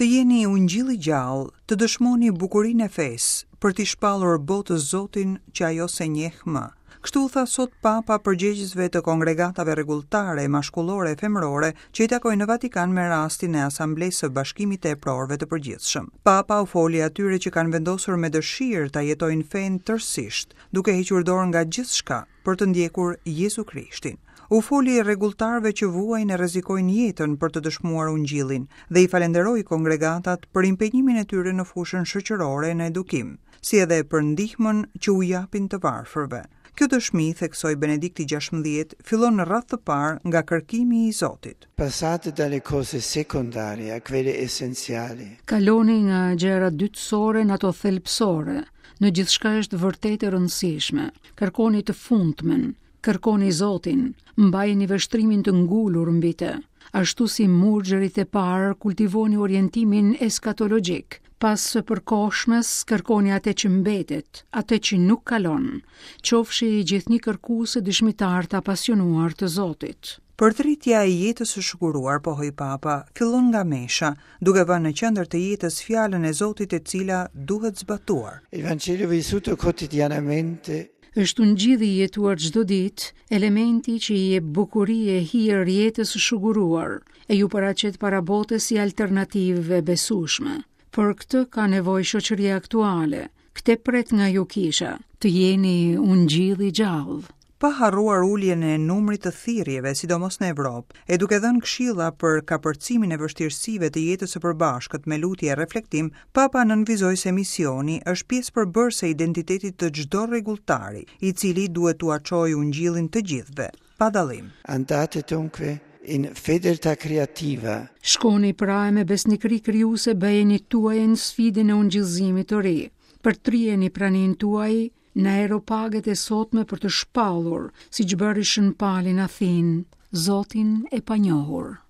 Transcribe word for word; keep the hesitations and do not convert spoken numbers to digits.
Të jeni ungjill i gjallë, të dëshmoni bukurinë e fesë, për t'i shpallur botës Zotin që ajo s'e njeh më. Kështu u tha sot Papa përgjegjësve të kongregatave rregulltare, mashkullore e femërore që i takojnë në Vatikan me rastin e Asamblesë së Bashkimit të Eprorëve të Përgjithshëm. Papa u foli atyre që kanë vendosur me dëshirë ta jetojnë fenë tërësisht, duke hequr dorë nga gjithçka për të ndjekur Jezu Krishtin. U foli rregulltarëve që vuajnë e rrezikojnë jetën për të dëshmuar ungjillin dhe i falenderoi kongregatat për impenjimin e tyre në fushën shoqërore në edukim, si edhe për ndihmën që u japin të varfërve. Kjo dëshmi, theksoi Benedikti gjashtëmbëdhjetë, fillon në radhë të parë nga kërkimi i Zotit. Passate dalle cose secondarie a quelle essenziali. Kaloni nga gjërat dytësore në ato thelbësore. Në gjithçka është vërtet e rëndësishme. Kërkoni të fundmen, kërkoni Zotin, mbajeni vështrimin të ngulur mbi të. Ashtu si murgjerit e parë, kultivoni orientimin eskatologjik. Pas së përkohshmes, kërkoni atë që mbetet, atë që nuk kalon. Qofshi gjithnjë kërkues e dëshmitar të apasionuar të Zotit. Përtritja e jetës së shuguruar, pohoi Papa, fillon nga mesha, duke vënë në qendër të jetës fjalën e Zotit e cila duhet zbatuar. Il Vangelo vissuto quotidianamente është ungjilli i jetuar çdo ditë, elementi që i jep bukuri e hir jetës së shuguruar, e ju paraqet para botës si alternativë e besueshme. Për këtë ka nevojë shoqëria aktuale. Këtë pret nga ju kisha, të jeni ungjill i gjallë. Pa harruar uljen e numrit të thirrjeve, sidomos në Evropë, e duke dhënë këshilla për kapërcimin e vështirësive të jetës së përbashkët me lutje e reflektim, Papa nënvizoi se misioni është pjesë përbërëse e identitetit të çdo rregulltari, i cili duhet t'ua çojë ungjillin të gjithëve, pa dallim. Andate dunque in fedeltà creativa. Shkoni pra e me besnikëri krijuese bëjeni tuajën sfidën e ungjillzimit të ri. Përtrijeni praninë tuaj në aeropaget e sotme për të shpallur, siç bëri Shën Pali në Athinë, Zotin e panjohur.